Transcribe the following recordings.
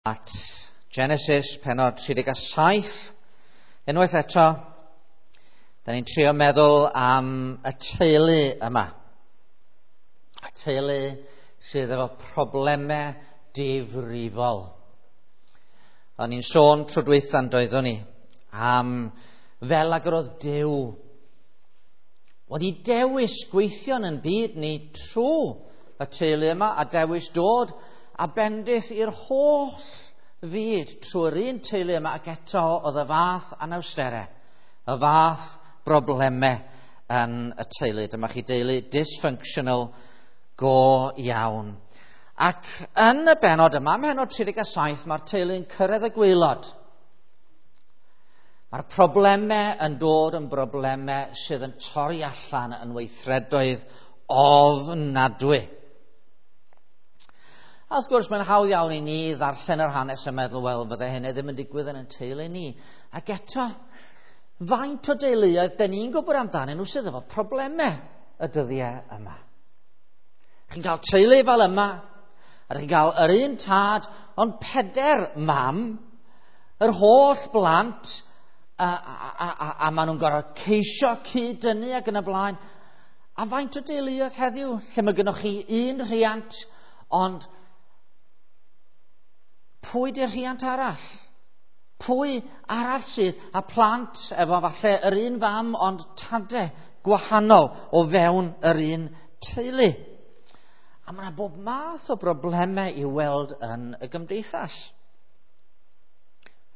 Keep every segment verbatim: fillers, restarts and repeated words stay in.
At Genesis pennod tri deg saith. Unwaith eto, da ni'n trio meddwl am y teulu yma. Y teulu sydd efo problemau difrifol. O'n i'n sôn tro dwytha'n doeddwn ni am fel ag yr oedd Duw wedi dewis gweithio yn byd ni trwy y teulu yma a dewis dod a bendith i'r holl fyd trwy'r un teulu yma, ac eto oedd y fath anawsterau, y fath broblemau yn y teulu. Dyma chi deulu dysfunctional go iawn. Ac yn y benod yma, pennod tri deg saith, mae'r teulu'n cyrraedd y gwaelod. Mae'r problemau yn dod yn broblemau sydd yn torri allan yn weithredoedd ofnadwy. A wrth gwrs, mae'n hawdd iawn i ni ddarllen yr hanes a meddwl, wel, fydde hynny ddim yn digwydd yn ein teulu ni. Ac eto, faint o deuluoedd dyn ni'n gwybod amdanyn nhw sydd efo problemau y dyddiau yma. Chi'n cael teulu fel yma, a chi'n cael yr un tad, ond peder mam, yr holl blant, a, a, a, a, a maen nhw'n gorfod ceisio cyd-dynnu ac yn y blaen. A faint o deuluoedd heddiw, lle mae gennych chi un rhiant, ond pwy di'r rhiant arall? Pwy arall sydd a plant efo falle yr un fam ond tade gwahanol o fewn yr un teulu? A mae yna bob math o broblemau i'w weld yn y gymdeithas.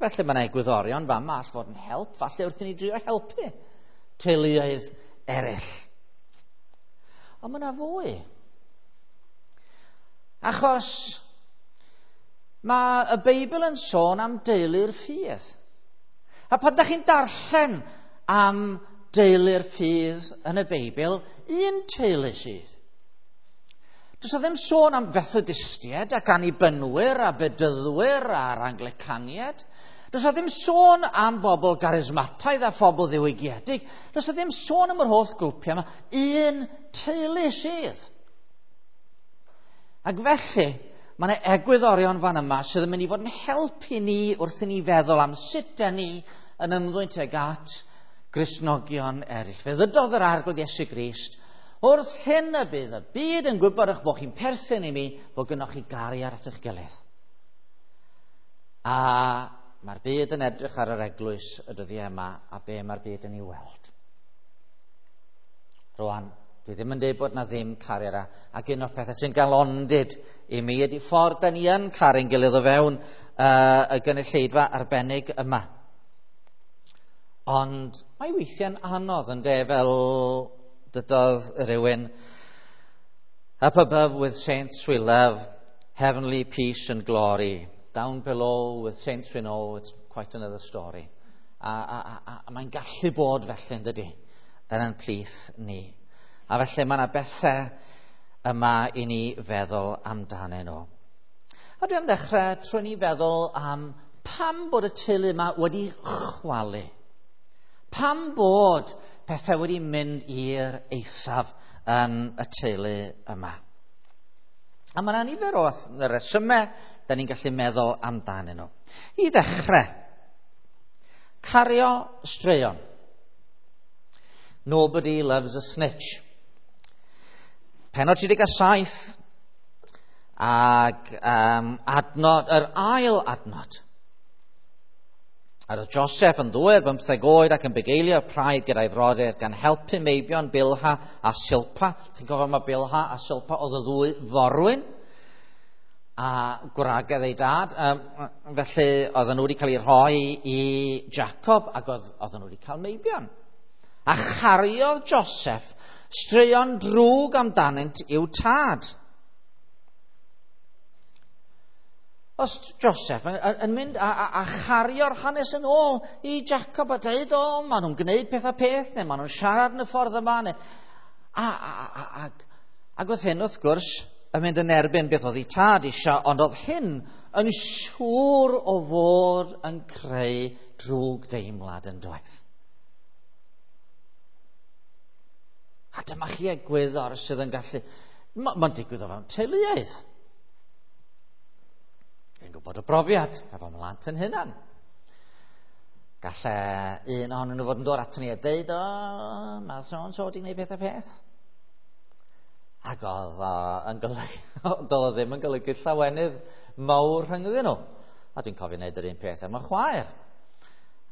Felly mae yna egwyddorion fama all fod yn help, falle wrth i ni drio helpu teuluoedd eraill. Ond mae yna fwy. Achos mae y Beibl yn sôn am deulu'r ffydd. A pan ydych chi'n darllen am deulu'r ffydd yn y Beibl, un teulu sydd. Does 'na ddim sôn am Fethodistiaid ac Annibynwyr a Bedyddwyr a'r Anglicaniaid. Does 'na ddim sôn am bobl garismataidd a phobl ddiwygiedig. Does 'na ddim sôn am yr holl grwpiau yma. Un teulu sydd. Ac felly, mae yna egwyddorion fan yma sydd yn mynd i fod yn helpu ni wrth i ni feddwl am sut da ni yn ymddwyn tuag at Gristnogion eraill. Fe ddydodd yr Arglwydd Iesu Grist, wrth hyn y bydd y byd yn gwybod eich bod chi'n perthyn i mi, bod gynnoch chi gariad at eich gilydd. A mae'r byd yn edrych ar yr eglwys y dyddiau yma, a be mae'r byd yn ei weld. Rwan, dwi ddim yn dweud bod na ddim cariad, ac un o'r pethau sy'n galondid i mi ydy ffordd da ni yn caru'n gilydd o fewn uh, y gynulleidfa arbennig yma. Ond mae weithiau'n anodd yn de, fel dydodd rhywun, up above with saints we love, heavenly peace and glory. Down below with saints we know, it's quite another story. A, a, a, a mae'n gallu bod felly, yn dydy, yn ein plith ni. A felly mae yna bethau yma i ni feddwl amdanyn nhw. A dwi am ddechrau trwy ni feddwl am pam bod y teulu yma wedi chwalu. Pam bod pethau wedi mynd i'r eithaf yn y teulu yma. A mae yna nifer o resymau da ni'n gallu meddwl amdanyn nhw. I ddechrau, cario straeon. Nobody loves a snitch. Pennod tri deg saith ac um, adnod, yr ail adnod. A roedd Joseph yn ddwy ar bymtheg oed ac yn bugeilio praidd gyda'i frodyr gan helpu meibion Bilha a Silpa. Chi'n cofio mae Bilha a Silpa oedd y ddwy forwyn a gwragedd ei dad. Um, felly oedden nhw wedi cael eu rhoi i Jacob ac oedd, oedden nhw wedi cael meibion. A chariodd Joseph straeon drwg amdanynt i'w tad. Os Joseph yn, yn mynd a, a, a chario'r hanes yn ôl i Jacob a dweud, o, maen nhw'n gwneud peth a peth, neu maen nhw'n siarad yn y ffordd yma, neu... A, a, a, a, ac oedd hyn, wrth gwrs, yn mynd yn erbyn beth oedd ei tad eisiau, ond oedd hyn yn siŵr o fod yn creu drwg deimlad yn doedd. A dyma chi egwyddor sydd yn gallu... Mae'n digwydd o fewn teuluoedd. Dwi'n gwybod o brofiad, efo mhlant yn hunan. Galle un ohonyn nhw fod yn dod ato ni a deud, o, mae so-and-so wedi gwneud peth a peth. Ac oedd o yn golygu, doedd o ddim yn golygu llawenydd mawr rhyngddyn nhw. A dwi'n cofio wneud yr un peth am y chwaer.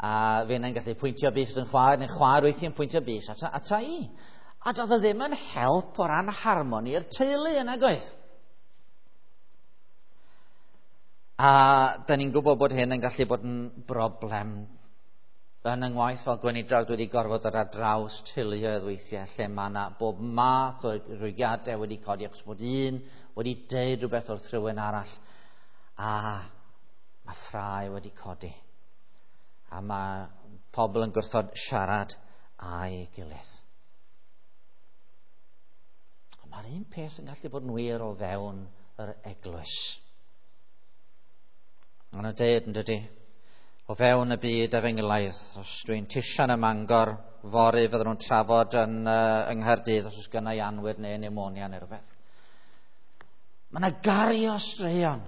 A fi yna'n gallu pwyntio bys yn chwaer, neu chwaer weithiau'n pwyntio bys ata, ata i. A doedd o ddim yn help o ran harmoni'r teulu yna goedd. A da ni'n gwybod bod hyn yn gallu bod yn broblem. Yn yng ngwaith fel gweinidog dwi wedi gorfod dod ar draws teuluoedd weithiau lle mae yna bob math o rwygiadau wedi codi achos bod un wedi deud rhywbeth wrth rhywun arall a mae ffrae wedi codi. A mae pobl yn gwrthod siarad â'i gilydd. Ond mae'r un peth yn gallu bod yn wir o fewn yr eglwys. Maen nhw'n deud yn dydy, o fewn y byd efengylaidd, os dwi'n tisian ym Mangor, fory fydden nhw'n trafod yn, uh, yng Nghaerdydd os oes gynna i anwyd neu pneumonia neu rhywbeth. Mae yna gario straeon.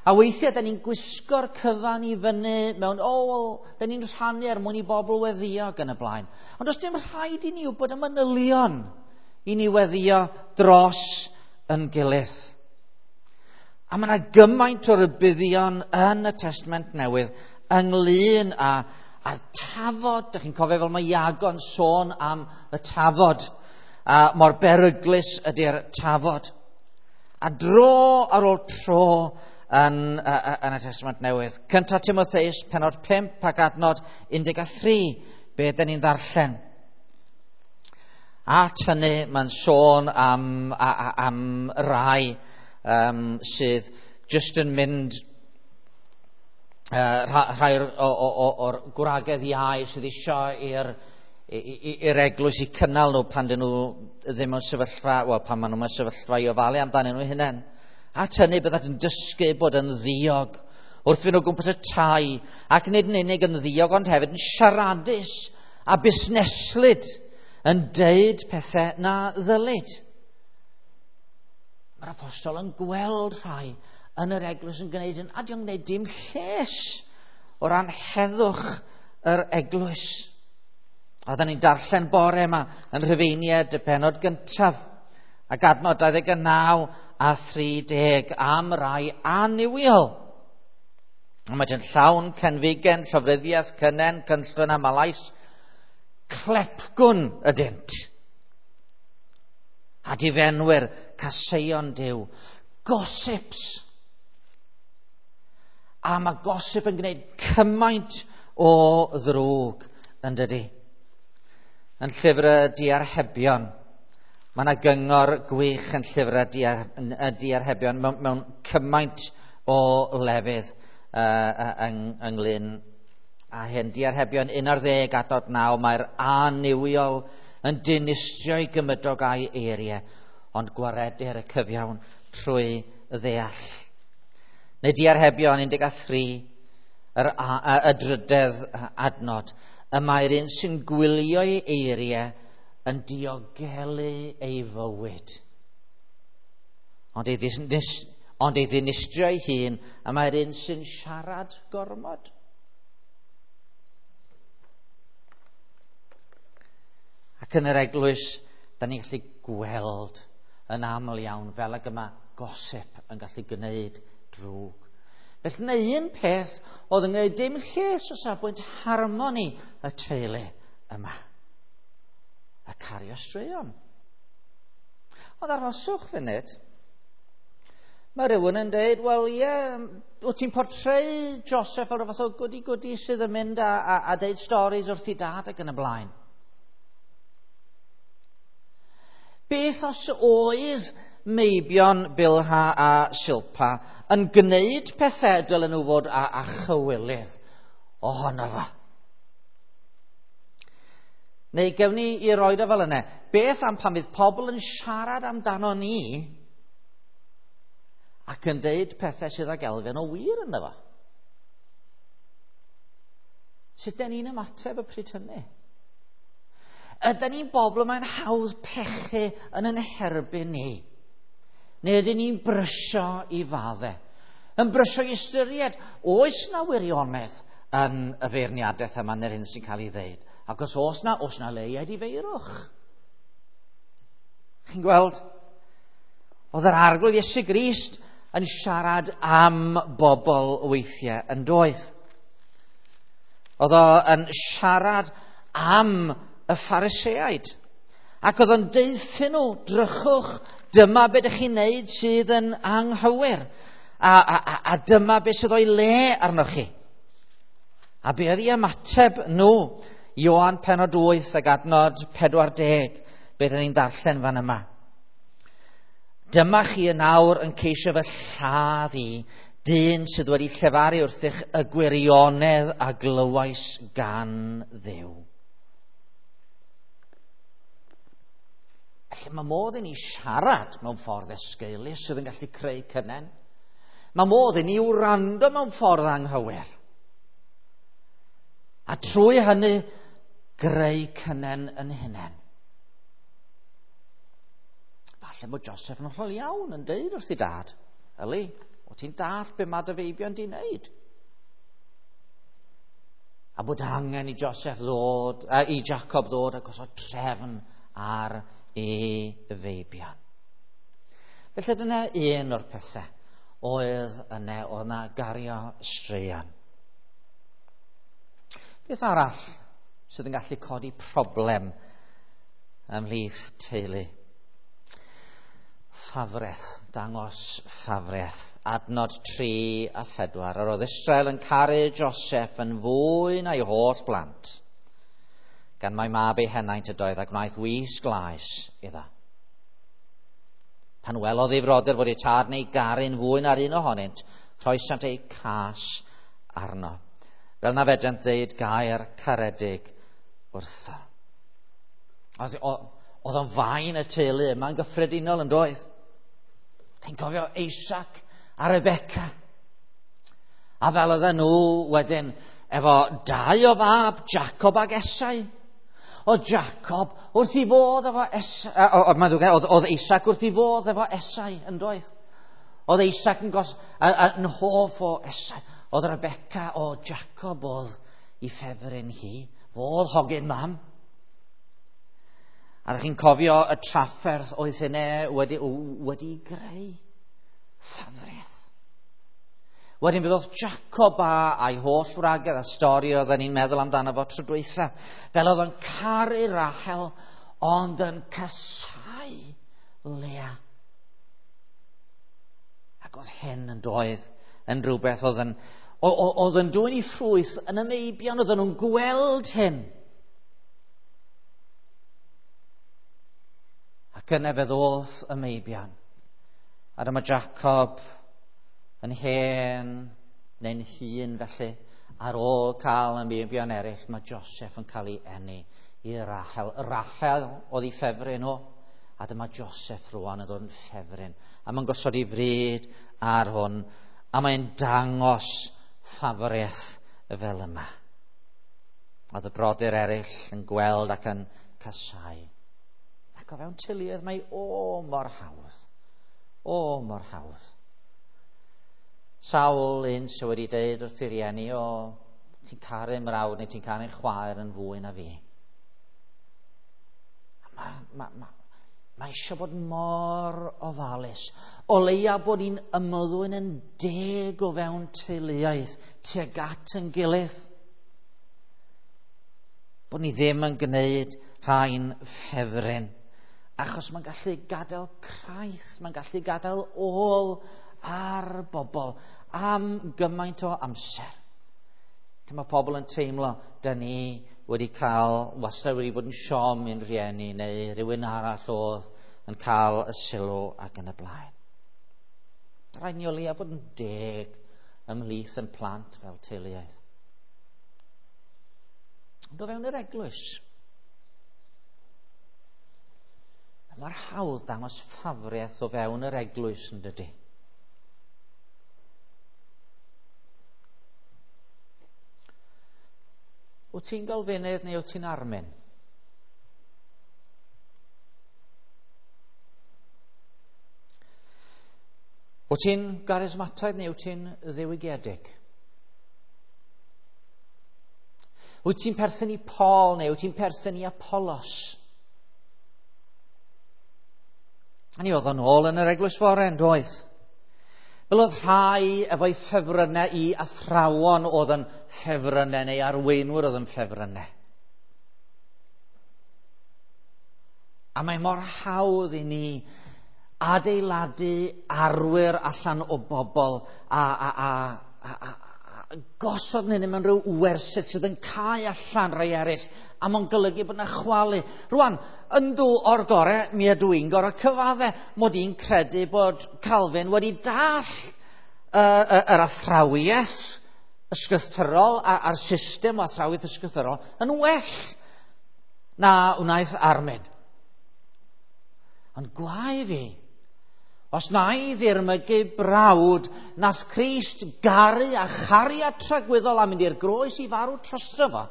A weithiau, da ni'n gwisgo'r cyfan i fyny mewn, o, oh, well, da ni'n rhannu er mwyn i bobl weddio ac yn y blaen. Ond does dim rhaid i ni wybod y manylion i ni weddio dros yn gilydd. A mae yna gymaint o rybuddion yn y Testament Newydd ynglyn â, â'r tafod. Dych chi'n cofio fel mae Iago'n sôn am y tafod, a mor beryglus ydy'r tafod. A dro ar ôl tro yn, yn y Testament Newydd. Cynta Timotheus, penod pump ac adnod un deg tri, be dyn ni'n ddarllen. At hynny, mae'n sôn am, am rai um, sydd jyst yn mynd, uh, rhai o'r gwragedd iau sydd eisiau i'r i'r eglwys i cynnal nhw pan dyn nhw ddim mewn sefyllfa, wel, pan maen nhw mewn sefyllfa i ofalu amdanyn nhw hunain. At hynny byddant yn dysgu bod yn ddiog wrth fynd o gwmpas y tai, ac nid yn unig yn ddiog ond hefyd yn siaradus a busneslyd, yn deud pethau na ddylid. Mae'r apostol yn gweld rhai yn yr eglwys yn gwneud yn, a dio'n gwneud dim lles o ran heddwch yr eglwys. A oedden ni'n darllen bore yma yn Rhufeiniaid y penod gyntaf ac adnod dau ddeg naw a thri deg am rai annuwiol. A mae yn llawn cenfigen, llofruddiaeth, cynnen, cynllwyn a malais, clepgwn ydynt. A difenwyr, caseion Duw, gossips. A mae gossip yn gwneud cymaint o ddrwg yn dydy. Yn llyfr y Diarhebion, mae yna gyngor gwych yn llyfr y Diarhebion mewn, mewn cymaint o lefydd uh, yng, ynglyn â hyn. Diarhebion un ar ddeg adnod naw, mae'r annuwiol yn dinistrio'i gymydog a'i eiriau, ond gwaredir y cyfiawn trwy ddeall. Neu Diarhebion un deg tri, yr, a, y drydedd adnod, y mae'r un sy'n gwylio'i eiriau yn diogelu ei fywyd. Ond ei, ddis, ond ei ddinistrio'i hun, y mae'r un sy'n siarad gormod. Ac yn yr eglwys, da ni'n gallu gweld yn aml iawn fel ag yma gossip yn gallu gwneud drwg. Felly yna un peth oedd yn gwneud dim lles o safbwynt harmoni y teulu yma. A cario straeon. Ond arhoswch funud. Mae rhywun yn dweud, wel ie, yeah, wyt ti'n portreu Joseph fel rhywbeth o goody-goody sydd yn mynd a, a, a deud stories wrth i dad ac yn y blaen. Beth os oedd meibion Bilha a Silpa yn gwneud pethau dylen nhw fod a, a chywilydd ohono fo? Neu gewn ni i roed o fel yna. Beth am pan fydd pobl yn siarad amdano ni ac yn deud pethau sydd ag elfen o wir ynddo fo? Sut den ni'n ymateb y pryd hynny? Ydyn ni'n bobl mae'n hawdd pechu yn yn herbyn ni? Neu ydyn ni'n brysio i faddau? Yn brysio i ystyried, oes na wirionedd yn y feirniadaeth yma neu'r hyn sy'n cael ei ddeud? Ac os oes na, oes na le i edifeirwch? Chi'n gweld? Oedd yr Arglwydd Iesu Grist yn siarad am bobl weithiau yn doedd. Oedd o yn siarad am y Phariseaid. Ac oedd o'n deuthyn nhw, drychwch, dyma beth ydych chi'n neud sydd yn anghywir. A, a, a, a dyma beth sydd o'i le arnoch chi. A be oedd ei ymateb nhw? Ioan pennod wyth ac adnod pedwar deg, beth ydyn ni'n darllen fan yma. Dyma chi yn awr yn ceisio fy lladd i, dyn sydd wedi llefaru wrthych y gwirionedd a glywais gan Dduw. Felly mae modd i ni siarad mewn ffordd esgeulus sydd yn gallu creu cynnen. Mae modd i ni wrando mewn ffordd anghywir. A trwy hynny, greu cynnen yn hunain. Falle bod Joseph yn hollol iawn yn deud wrth ei dad, Yli, o ti'n dallt be mae dy feibion di wneud? A bod angen i Joseph ddod, a i Jacob ddod a gosod trefn ar ei feibion. Felly dyna un o'r pethau oedd yna, oedd yna gario straeon. Beth arall sydd yn gallu codi problem ymhlith teulu? Ffafreth, dangos ffafreth. Adnod tri a phedwar. Yr oedd Israel yn caru Joseph yn fwy na'i holl blant, gan mai mab ei henaint ydoedd a gwnaeth wys glais iddo. Pan welodd ei frodyr fod ei tad neu garu'n fwy na'r un ohonynt, rhoesant eu cas arno, fel na fedrent ddeud gair caredig wrtho. Oedd o'n fain y teulu yma'n gyffredinol yn doedd. Chi'n cofio Isaac a Rebecca. A fel oedden nhw wedyn efo dau o fab, Jacob ag Esau. Oedd Jacob wrth i fodd efo Esau, oedd, oedd Isaac wrth i fodd efo Esau yn doedd. Oedd Isaac yn, gos, a, a, yn hoff o Esau. Oedd Rebecca o Jacob oedd i ffefryn hi. Fodd hogyn mam. A ydych chi'n cofio y trafferth oedd hynny wedi, wedi greu ffafreth. Wedyn fydd oedd Jacob a, a'i holl wragedd a stori oedden ni'n meddwl amdano fo tro dwytha. Fel oedd o'n caru Rachel ond yn casáu Lea. Ac oedd hyn yn doedd yn rhywbeth oedd yn, oedd yn dwyn i ffrwyth yn y meibion, oedden nhw'n gweld hyn. Ac yna fe ddoth y meibion. A dyma Jacob yn hen neu'n hŷn felly, ar ôl cael y meibion eraill, mae Joseph yn cael ei eni i Rachel. Rachel oedd ei ffefryn o, a dyma Joseph rwan yn dod yn ffefryn. A mae'n gosod ei fryd ar hwn, a mae'n dangos ffafriaeth fel yma. Oedd y brodyr eraill yn gweld ac yn casáu. Ac o fewn teuluoedd mae o mor hawdd. O mor hawdd. Sawl un sydd wedi deud wrth ei rieni, o, ti'n caru mrawd neu ti'n caru chwaer yn fwy na fi. Mae ma, ma, ma eisiau bod mor ofalus. O leia bod ni'n ymddwyn yn deg o fewn teuluoedd tuag at yn gilydd. Bod ni ddim yn gwneud rhai'n ffefryn. Achos mae'n gallu gadael craith, mae'n gallu gadael ôl ar bobl am gymaint o amser. Dyma pobl yn teimlo, da ni wedi cael, wastad wedi bod yn siom i'n rhieni neu rhywun arall oedd yn cael y sylw ac yn y blaen. Rhaid ni o leia fod yn deg ymhlith yn plant fel teuluoedd. Ond o fewn yr eglwys, mae'r hawdd dangos ffafriaeth o fewn yr eglwys yn dydy. Wyt ti'n Galfinydd neu wyt ti'n Armin? Wyt Wyt ti'n garismataidd neu wyt ti'n ddiwygiedig? Wyt ti'n perthyn i Paul neu wyt ti'n perthyn i Apollos? A ni oedd o'n ôl yn yr eglwys fore yn doedd? Fel oedd rhai efo'i ffefrynnau i athrawon oedd yn ffefrynnau neu arweinwyr oedd yn ffefrynnau. A mae mor hawdd i ni adeiladu arwyr allan o bobl a, a, a, a, a, a gosod nhw mewn rhyw wersyll sydd yn cau allan rhai eraill, a mae'n golygu bod yna chwalu. Rwan, yndw o'r gore, mi ydw i'n gorau cyfadde mod i'n credu bod Calvin wedi dall uh, uh, yr athrawiaeth ysgrythurol a'r system o athrawiaeth ysgrythurol yn well na wnaeth Armin. Ond gwae fi, os na i ddirmygu brawd, nath Crist garu a chariad tragwyddol a mynd i'r groes i farw drosto fo.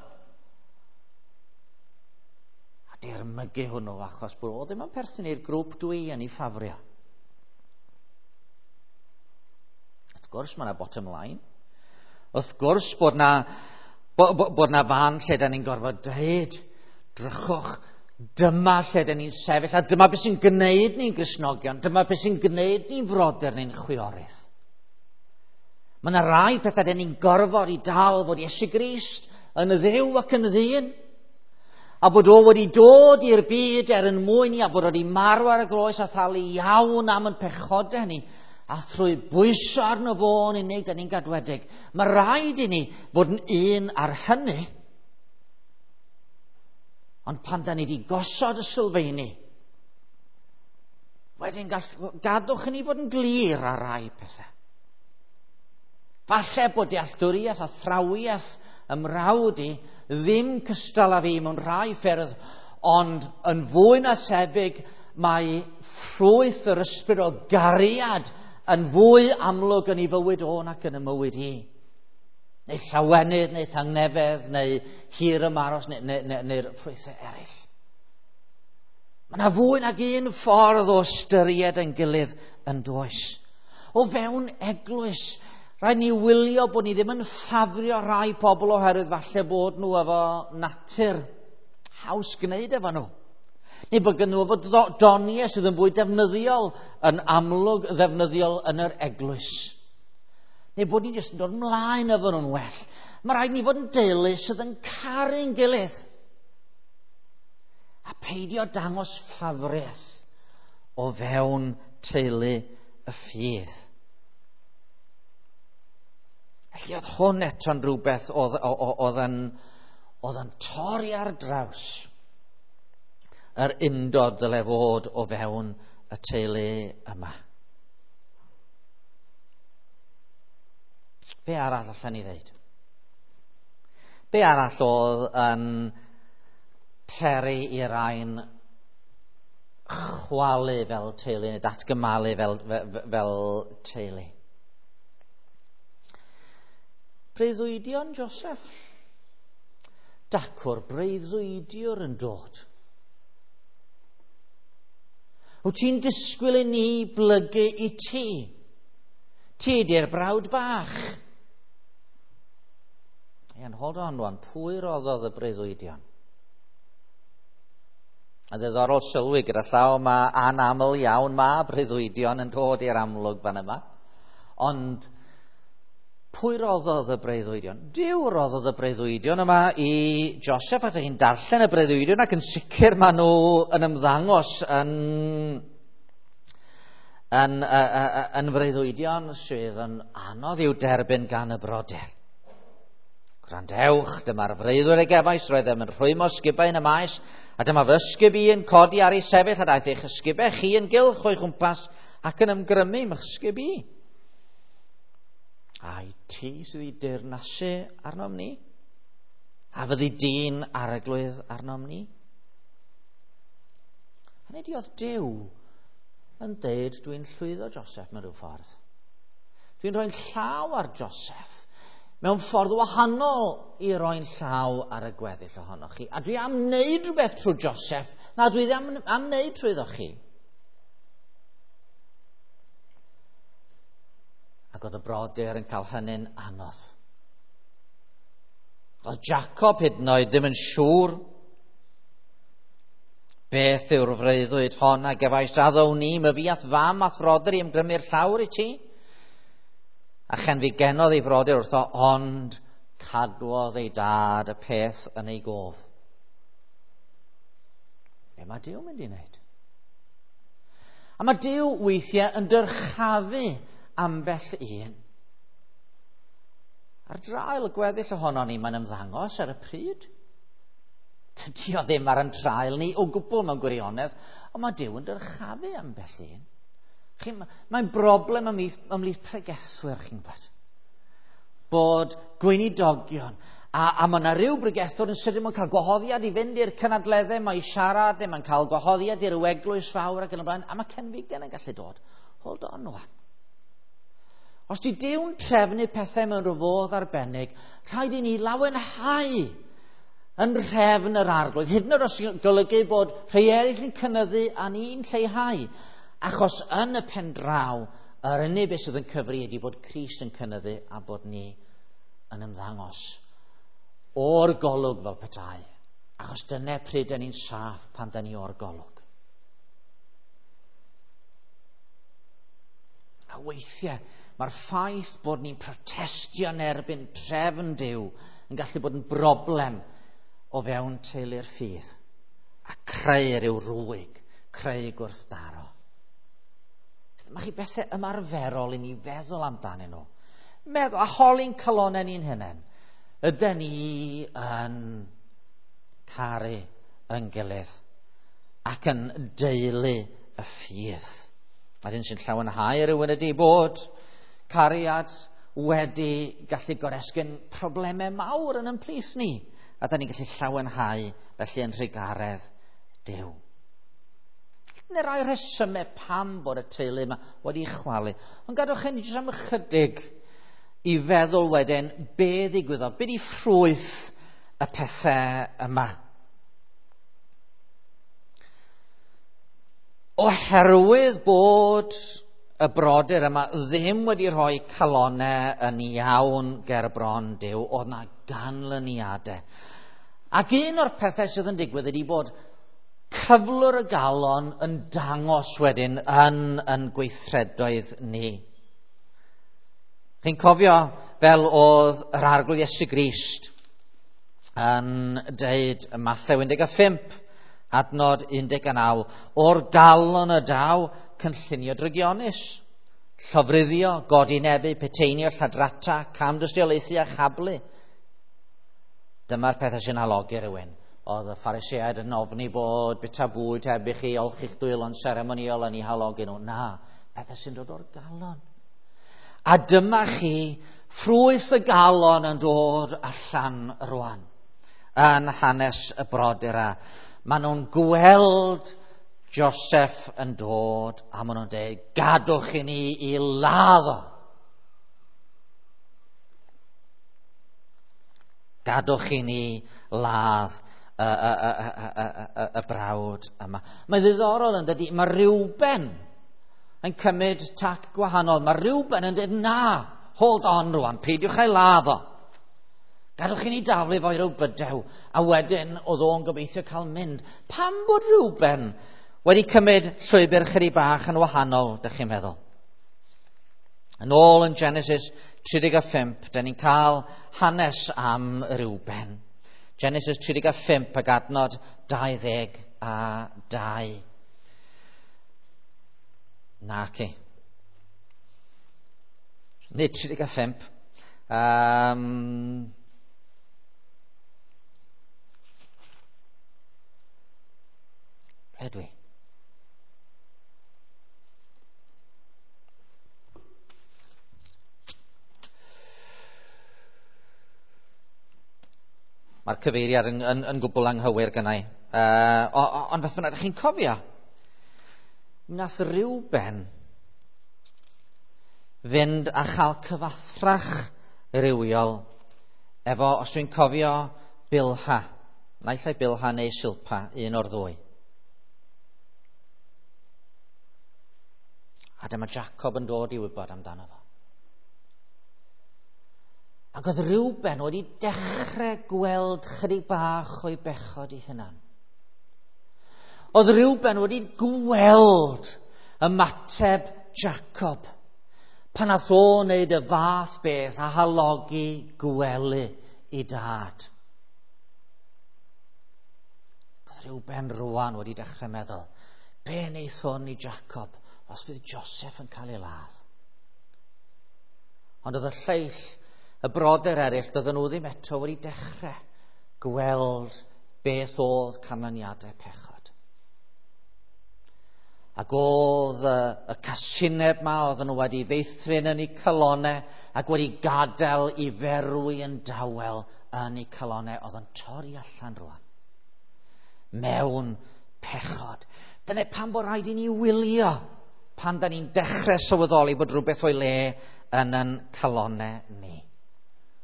A dirmygu hwnnw achos bod o ddim yn perthyn i'r grŵp dwi yn ei ffafrio. Wrth gwrs mae yna bottom line. Wrth gwrs bod na, bo, bo, bod na fan lle da ni'n gorfod dweud, drychwch, dyma lle dyn ni'n sefyll, a dyma beth sy'n gwneud ni'n Gristnogion, dyma beth sy'n gwneud ni'n frodyr neu'n chwiorydd. Mae yna rai pethau dyn ni'n gorfod i dal fod Iesu Grist yn y Dduw ac yn y ddyn, a bod o wedi dod i'r byd er yn mwyn ni, a bod o wedi marw ar y groes a thalu iawn am yn pechodau ni, a thrwy bwyso arno fo yn unig dyn ni'n gadwedig. Mae rhaid i ni fod yn un ar hynny. Ond pan da ni wedi gosod y sylfeini, wedyn gall, gadwch i ni fod yn glir ar rai pethau. Falle bod dealltwriaeth a thrawiaeth ymrawd i ddim cystal â fi mewn rhai ffyrdd, ond yn fwy na thebyg mae ffrwyth yr ysbryd o gariad yn fwy amlwg yn ei fywyd o nac yn y mywyd hi. Neu llawenydd, neu tangnefedd, neu hir ymaros, neu, neu, neu, neu'r ffrwythau eraill. Mae yna fwy nag un ffordd o ystyried yn gilydd yn does. O fewn eglwys, rhaid ni wylio bod ni ddim yn ffafrio rhai pobl oherwydd falle bod nhw efo natur haws gwneud efo nhw. Neu bod gen nhw efo doniau sydd yn fwy defnyddiol, yn amlwg ddefnyddiol yn yr eglwys. Neu bod ni'n jyst yn dod ymlaen efo nhw'n well. Mae rhaid ni fod yn deulu sydd yn caru'n gilydd. A peidio dangos ffafriaeth o fewn teulu y ffydd. Felly oedd hwn eto'n rhywbeth oedd, oedd, yn, oedd yn torri ar draws yr undod dyle fod o fewn y teulu yma. Be arall allan ni ddeud? Be arall oedd yn peri i rain chwalu fel teulu neu datgymalu fel, fel, fel teulu? Breuddwydion Joseph. Dacw'r breuddwydiwr yn dod. Wyt ti'n disgwyl i ni blygu i ti? Ti di'r brawd bach. Ian, hold on rwan, pwy roddodd y breuddwydion? A ddiddorol sylwi gyda llaw mae anaml iawn mae breuddwydion yn dod i'r amlwg fan yma. Ond pwy roddodd y breuddwydion? Duw roddodd y breuddwydion yma i Joseph, a dych chi'n darllen y breuddwydion ac yn sicr maen nhw yn ymddangos yn, yn, yn, yn freuddwydion sydd yn anodd i'w derbyn gan y brodyr. Gwrandewch, dyma'r freuddwyd a gefais, roeddem yn rhwymo ysgubau yn y maes, a dyma fy ysgub i yn codi ar ei sefyll, a daeth eich ysgubau chi yn gylch o'i chwmpas ac yn ymgrymu m'ych ysgub i. Ai ti sydd i deyrnasu arnom ni? A fyddi di'n arglwydd arnom ni? Hynny ydi oedd Duw yn deud dwi'n llwyddo Joseph mewn rhyw ffordd. Dwi'n rhoi'n llaw ar Joseph mewn ffordd wahanol i roi'n llaw ar y gweddill ohonoch chi. A dwi am wneud rhywbeth trwy Joseph na dwi ddim am, am wneud trwyddo chi. Ac oedd y brodyr yn cael hynny'n anodd. Oedd Jacob hyd yn oed ddim yn siŵr beth yw'r freuddwyd hon a gefais addown ni, myfi a'th fam a'th frodyr i ymgrymu'r llawr i ti. A chenfigenodd ei frodyr wrtho, ond cadwodd ei dad y peth yn ei gof. Be mae Duw mynd i wneud? A mae Duw weithiau yn dyrchafu ambell un. Ar draul y gweddill ohono ni, mae'n ymddangos ar y pryd. Dydy o ddim ar yn traul ni o gwbl mewn gwirionedd, ond mae Duw yn dyrchafu ambell un. Mae'n broblem ymhlith, ymhlith pregethwyr, chi'n gwybod. Bod gweinidogion, a, a mae yna ryw bregethwr yn sydyn mae'n cael gwahoddiad i fynd i'r cynadleddau, mae i siarad, neu mae'n cael gwahoddiad i'r eglwys fawr ac yn y blaen, a mae cenfigen yn gallu dod. Hold on rwan. Os di Duw'n trefnu pethau mewn rhyw fodd arbennig, rhaid i ni lawenhau yn rhefn yr Arglwydd. Hyd yn oed os golygu bod rhai eraill yn cynyddu a ni'n lleihau. Achos yn y pen draw, yr unig beth sydd yn cyfri ydy bod Crist yn cynyddu a bod ni yn ymddangos o'r golwg fel petai. Achos dyna pryd dyn ni'n saff pan dyn ni o'r golwg. A weithiau, mae'r ffaith bod ni'n protestio yn erbyn trefn Duw yn gallu bod yn broblem o fewn teulu'r ffydd a creu rhyw rwyg, creu gwrthdaro. Mae chi bethau ymarferol i ni feddwl amdanyn nhw. Meddwl, a holi'n calonnau ni'n hunain. Ydyn ni yn caru yn gilydd ac yn deulu y ffydd? A'r hyn sy'n llawenhau rhywun ydy bod cariad wedi gallu goresgyn problemau mawr yn ymplith ni. A da ni'n gallu llawenhau felly yn rhugaredd Duw. Neu rai rhesymau pam bod y teulu yma wedi chwalu. Ond gadwch chi jyst am ychydig i feddwl wedyn be ddigwyddodd, be di ffrwyth y pethau yma. Oherwydd bod y brodyr yma ddim wedi rhoi calonnau yn iawn ger bron Duw, oedd na ganlyniadau. Ac un o'r pethau sydd yn digwydd ydy bod cyflwr y galon yn dangos wedyn yn, yn gweithredoedd ni. Chi'n cofio fel oedd yr Arglwydd Iesu Grist yn deud ym Mathew un deg pump, adnod un deg naw, o'r galon y daw cynllunio drygionus, llofruddio, godinebu, peteinio, lladrata, camdystiolaethu a chablu. Dyma'r pethau sy'n halogi rhywun. Oedd y Phariseaid yn ofni bod bita bwyd heb i chi olchi'ch dwylo'n seremoniol yn ei halogi nhw. Na, pethau sy'n dod o'r galon. A dyma chi ffrwyth y galon yn dod allan rwan yn hanes y brodyr. Maen nhw'n gweld Joseph yn dod a maen nhw'n dweud, gadwch i ni i ladd o. Gadwch i ni ladd y, y, y, y, y, y, y brawd yma. Mae'n ddiddorol yn dydi, mae Reuben yn cymryd tac gwahanol. Mae Reuben yn dweud, na, hold on rwan, peidiwch ei ladd o. Gadwch i ni daflu fo i ryw bydew, a wedyn oedd o'n gobeithio cael mynd. Pam bod Reuben wedi cymryd llwybr chydig bach yn wahanol, dych chi'n meddwl? Yn ôl yn Genesis tri deg pump, dyn ni'n cael hanes am Reuben. Genesis tri deg pump ac adnod dau ddeg a dau. Naci. Nid tri deg pump. Um, Ble dwi? Mae'r cyfeiriad yn, yn, yn gwbl anghywir gynnau. Uh, ond beth bynnag, chi'n cofio? Nath Reuben fynd a chael cyfathrach rywiol efo, os dwi'n cofio, Bilha. Naill ai Bilha neu Silpa, un o'r ddwy. A dyma Jacob yn dod i wybod amdano fo. Ac oedd Reuben wedi dechrau gweld chydig bach o'i bechod ei hunan. Oedd Reuben wedi gweld ymateb Jacob pan nath o wneud y fath beth a halogi gwely i dad. Oedd Reuben rwan wedi dechrau meddwl, be wneith hwn i Jacob os fydd Joseph yn cael ei ladd? Ond oedd y lleill, y brodyr eraill, doedden nhw ddim eto wedi dechrau gweld beth oedd canlyniadau pechod. Ac oedd y, y casineb ma oedden nhw wedi feithrin yn eu calonau ac wedi gadael i ferwi yn dawel yn eu calonau, oedd yn torri allan rwan mewn pechod. Dyna pam bod rhaid i ni wylio pan da ni'n dechrau sylweddoli bod rhywbeth o'i le yn yn calonau ni.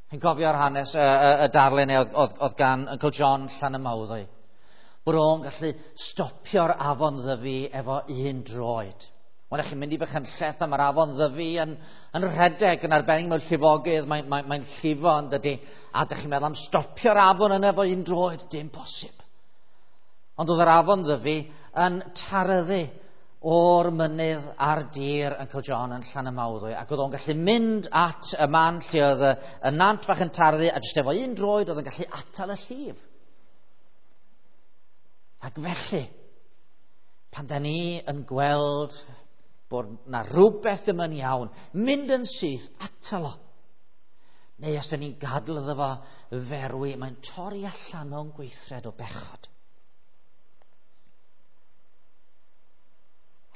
Chi'n cofio'r hanes, y, y, y darlun oedd, oedd, oedd gan Uncle John Llanymawddwy. Bod o'n gallu stopio'r afon Ddyfi efo un droed. Wel, chi'n mynd i Fachynlleth a mae'r afon Ddyfi yn, yn rhedeg yn arbennig mewn llifogydd, mae'n mae, mae llifo yn dydy. A dych chi'n meddwl am stopio'r afon yna efo un droed, dim posib. Ond oedd yr afon Ddyfi yn taryddu o'r mynydd a'r dir Uncle John yn Llanymawddwy, ac oedd o'n gallu mynd at y man lle oedd y, y nant fach yn tarddu, a jyst efo un droed oedd yn gallu atal y llif. Ac felly, pan da ni yn gweld bod na rhywbeth ddim yn iawn, mynd yn syth, atal o. Neu os da ni'n gadael iddo fo ferwi, mae'n torri allan mewn gweithred o bechod.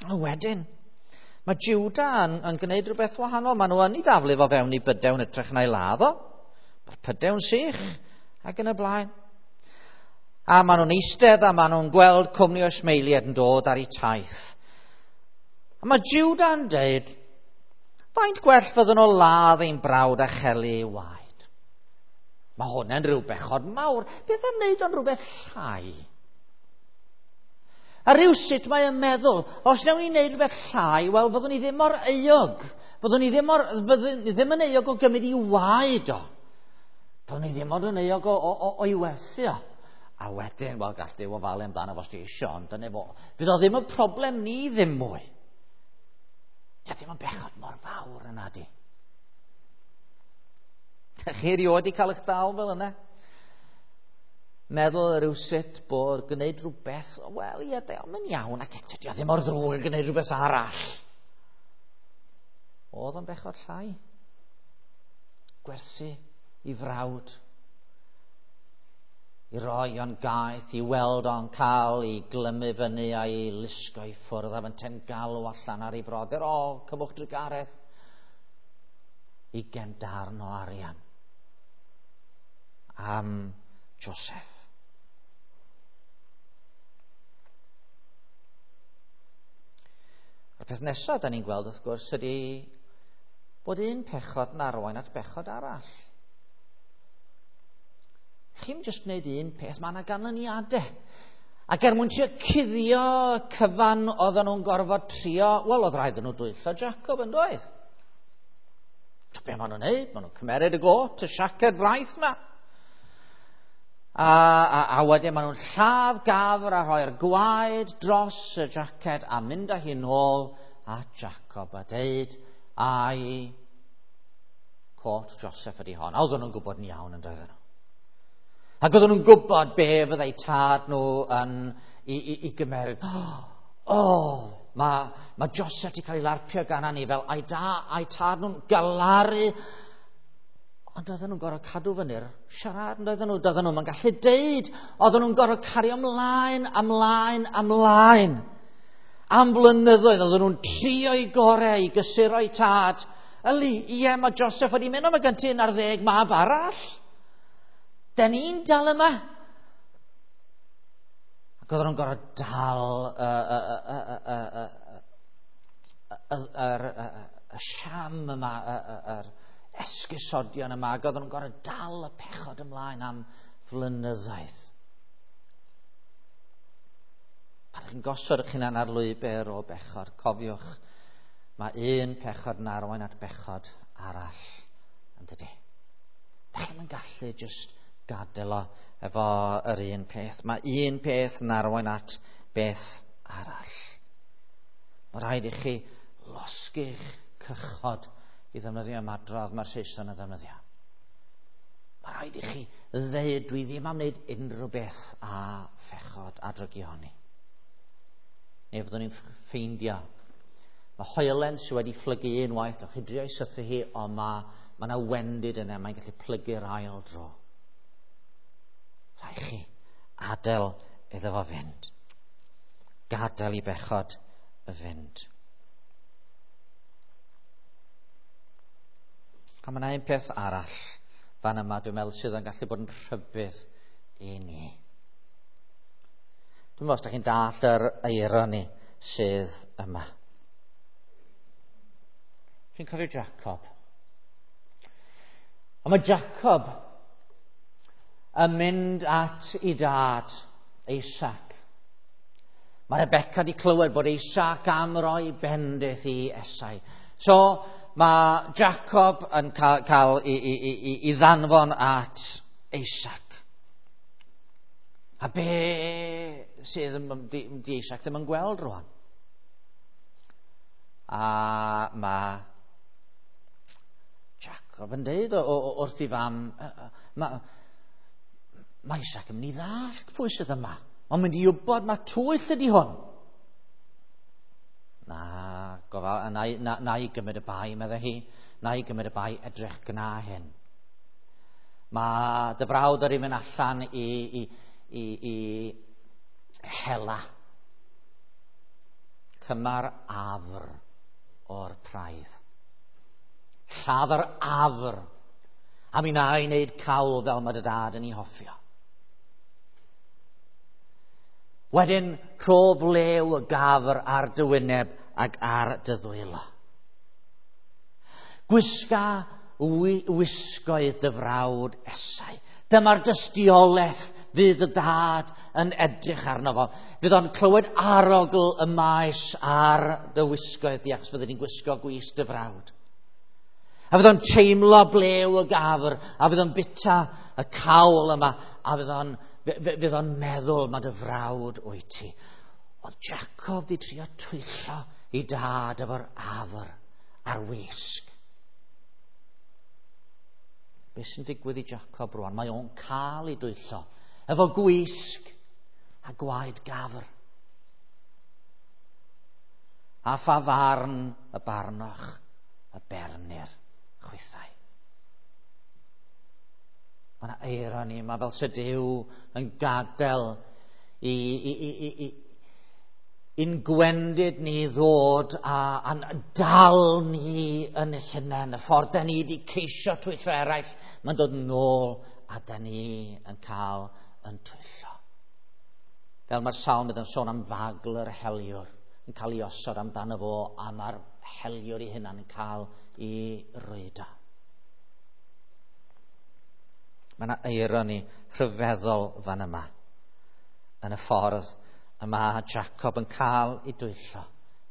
A wedyn, mae Juda yn, yn gwneud rhywbeth wahanol. Maen nhw yn ei daflu fo fewn i bydew yn ytrach na'i ladd o. Mae'r pydew'n sych ac yn y blaen. A maen nhw'n eistedd a maen nhw'n gweld cwmni o Ismaeliaid yn dod ar eu taith. A mae Juda'n deud, faint gwell fyddwn nhw ladd ein brawd a chelu ei waed? Mae hwnna'n rhyw bechod mawr. Beth am wneud o'n rhywbeth llai? A rhywsut mae yn meddwl, os wnawn ni wneud rhywbeth llai, wel, fyddwn ni ddim mor euog. Fyddwn ni ddim, mor, fyddwn ni ddim yn euog o gymryd i waed o. Fyddwn ni ddim ond yn euog o, o, o, o'i werthu o. A wedyn, wel, gall Duw ofalu amdano fo os ti eisiau, ond dyna fo. Fydd o ddim yn problem ni ddim mwy. Dio ddim yn bechod mor fawr yna di. Dych chi erioed wedi cael eich dal fel yna? Meddwl rhywsut bod gwneud rhywbeth, wel, ie, de, ond mae'n iawn, ac eto, dio ddim mor ddrwg yn gwneud rhywbeth arall. Oedd o'n bechod llai. Gwerthu i frawd, i roi o'n gaeth, i weld o'n cael, i glymu fyny a'i lusgo i ffwrdd, a fynte'n galw allan ar ei brodyr, o, cymwch drugaredd, ugain darn o arian am Joseph. A'r peth nesaf da ni'n gweld, wrth gwrs, ydy bod un pechod yn arwain at bechod arall. Chi'n jyst gwneud un peth, mae yna ganlyniadau. Ac er mwyn trio cuddio cyfan oedden nhw'n gorfod trio, wel, oedd rhaid nhw dwyllo Jacob yn doedd. Be maen nhw'n neud? Maen nhw'n cymeryd y got, y siaced fraith yma. A, a, a wedyn maen nhw'n lladd gafr a rhoi'r gwaed dros y jaced a mynd â hi nôl at Jacob a deud, ai cot Joseph ydi hon. A oedden nhw'n gwybod yn iawn yn doedden nhw. Ac oedden nhw'n gwybod be fyddai tad nhw yn i, i, i gymeryd. O, oh, mae, mae Joseph wedi cael ei larpio gan anifail, a'i da, a'i tad nhw'n galaru. Ond oedden nhw'n gorfod cadw fyny'r siarad, ond oedden nhw, doedden nhw'n gallu deud. Oedden nhw'n gorfod cario ymlaen, ymlaen, ymlaen. Am flynyddoedd, oedden nhw'n trio i gorau i gysuro'i tad. Yli, ie, mae Joseph wedi mynd, ond mae gen ti un ar ddeg mab arall. Den ni'n dal yma. Ac oedden nhw'n gorfod dal y, y, y, y, y, y, y, y siam yma, yr esgusodion yma, ac oedden nhw'n gorfod dal y pechod ymlaen am flynyddoedd. Pan chi'n gosod eich hunan ar lwybr o bechod, cofiwch, mae un pechod yn arwain at bechod arall, yn dydy. chi'm yn gallu just gadael o efo yr un peth. Mae un peth yn arwain at beth arall. Mae rhaid i chi losgi'ch cychod i ddefnyddio ymadrodd mae'r Saeson yn ddefnyddio. Mae rhaid i chi ddeud, dwi ddim am wneud unrhyw beth a phechod a drygioni. Neu fyddwn ni'n ffeindio. Mae hoelen sydd wedi phlygu unwaith, gallwch chi drio i sythu hi, ond mae mae yna wendid yna, mae'n gallu plygu'r ail dro. Rhaid chi adael iddo fo fynd. Gadael i bechod y fynd. A mae yna un peth arall fan yma, dwi'n meddwl, sydd yn gallu bod yn rhybudd i ni. Dwi'n meddwl os da chi'n dallt yr eironi sydd yma. Chi'n cofio Jacob? A mae Jacob yn mynd at ei dad, Isaac. Mae Rebecca wedi clywed bod Isaac am roi bendith i Esau. So mae Jacob yn cael, cael i, i, i, i ddanfon at Isaac. A be sydd yn, di, di Isaac ddim yn gweld rwan? A mae Jacob yn deud o, o, wrth i fam, mae ma Isaac yn mynd i ddallt pwy sydd yma. Mae'n mynd i wybod mae twyll ydi hwn. Na, gofal, na, na, na i gymryd y bai, meddai hi. Na i gymryd y bai, edrych gna hyn. Mae dy frawd ar ei mynd allan i, i, i, i hela. Cymar afr o'r praidd. Lladd yr afr. A mi na i wneud cawl fel mae dy dad yn ei hoffio. Wedyn, rho flew y gafr ar dy wyneb ac ar dy ddwylo. Gwisga wisgoedd dy frawd Esau. Dyma'r dystiolaeth fydd y dad yn edrych arno fo. Fydd o'n clywed arogl y maes ar dy wisgoedd di, achos fyddi di'n gwisgo gwys dy frawd. A fydd o'n teimlo blew y gafr, a fydd o'n bita y cawl yma, a fydd o'n, fydd o'n meddwl mae dy frawd wyt ti. Oedd Jacob di trio twyllo i dad efo'r afr a'r wisg. Be sy'n digwydd i Jacob rwan? Mae o'n cael ei dwyllo efo gwisg a gwaed gafr. A pha farn y barnoch y bernir chwithau. Mae yna eironi, mae fel sy Duw yn gadael i, i, i, i, i i'n gwendid ni ddod a, a dal ni yn hunain. Y ffordd da ni wedi ceisio twyllo eraill, mae'n dod nôl a da ni yn cael yn twyllo. Fel mae'r salmydd yn sôn am fagl yr heliwr yn cael ei osod amdano fo, a mae'r heliwr ei hunan yn cael ei rwydo. Mae yna eironi rhyfeddol fan yma yn y ffordd y mae Jacob yn cael ei dwyllo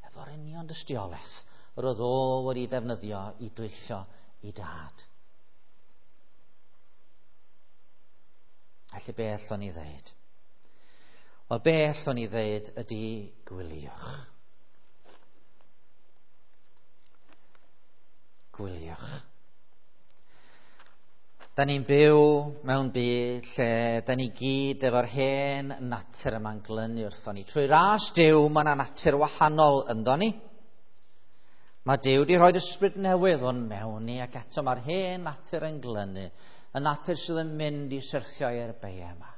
efo'r union dystiolaeth yr oedd o wedi ddefnyddio i dwyllo i dad. Felly be allwn ni ddeud? Wel, be allwn ni ddeud ydy gwyliwch. Gwyliwch. Da ni'n byw mewn byd lle da ni gyd efo'r hen natur yma'n glynu wrthon ni. Trwy ras Duw, mae yna natur wahanol ynddo ni. Mae Duw wedi rhoi ysbryd newydd o'n mewn ni, ac eto mae'r hen natur yn glynu. Y natur sydd yn mynd i syrthio i'r beiau yma.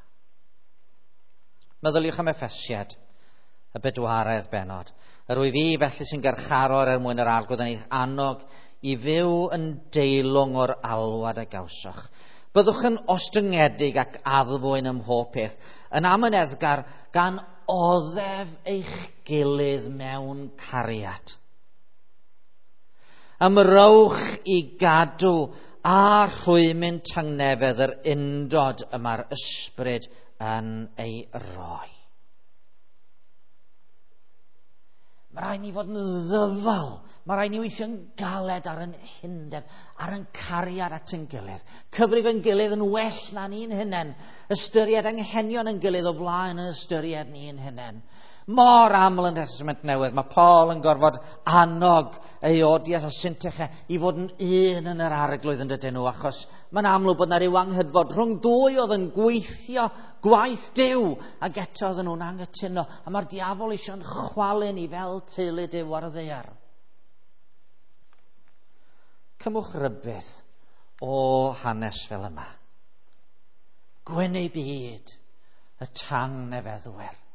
Meddyliwch am Effesiad, y bedwaredd bennod. Yr wyf fi felly sy'n garcharor er mwyn yr Arglwydd yn eich annog i fyw yn deilwng o'r alwad a gawsoch. Byddwch yn ostyngedig ac addfwyn ym mhob peth, yn amyneddgar gan oddef eich gilydd mewn cariad. Ymrowch i gadw a rhwymyn tangnefedd yr undod y mae'r ysbryd yn ei roi. Mae rhaid ni fod yn ddyfal. Mae rhaid ni weithio'n galed ar yn hundeb, ar yn cariad at yn gilydd. Cyfrif yn gilydd yn well na ni'n hunain. Ystyried anghenion yn gilydd o flaen yn ystyried ni'n hunain. Mor aml yn Testament Newydd, mae Paul yn gorfod annog Euodias a Syntyche i fod yn un yn yr arglwydd yn dydyn nhw, achos mae'n amlwg bod yna ryw anghydfod rhwng dwy oedd yn gweithio gwaith Duw, ac eto oedden nhw'n anghytuno, a mae'r diafol eisiau'n chwalu ni fel teulu Duw ar y ddaear. Cymwch rybudd o hanes fel yma. Gwyn eu byd, y tangnefeddwyr.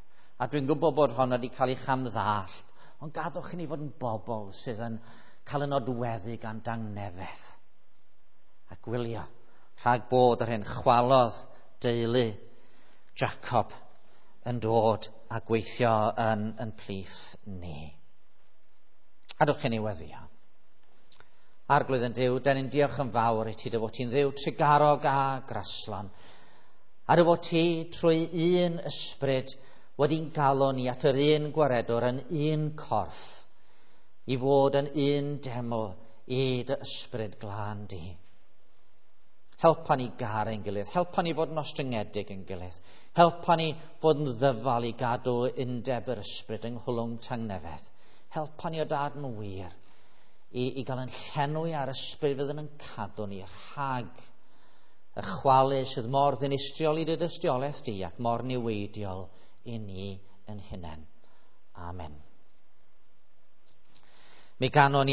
A dwi'n gwybod bod hon wedi cael ei chamddallt, ond gadwch i ni fod yn bobl sydd yn cael y nodweddu gan dangnefedd. A gwylio rhag bod yr hyn chwalodd deulu Jacob yn dod a gweithio yn, yn plith ni. Adwch i ni weddio. Arglwydd yn Duw, den ni'n diolch yn fawr i ti dy fod ti'n Dduw trugarog a graslon. A dy fod ti trwy un ysbryd wedi'n galw ni at yr un gwaredwr yn un corff, i fod yn un deml i dy ysbryd glân di. Helpa ni garu ein gilydd, helpa ni fod yn ostyngedig yn gilydd, helpa ni fod yn ddyfal i gadw undeb yr ysbryd yng nghwlwm tangnefedd. Helpa ni o dad yn wir i, i gael yn llenwi ar ysbryd fydd yn cadw ni rhag y chwalu sydd mor ddinistriol i dy dystiolaeth di ac mor niweidiol i ni yn hunain. Amen. Mi ganon ni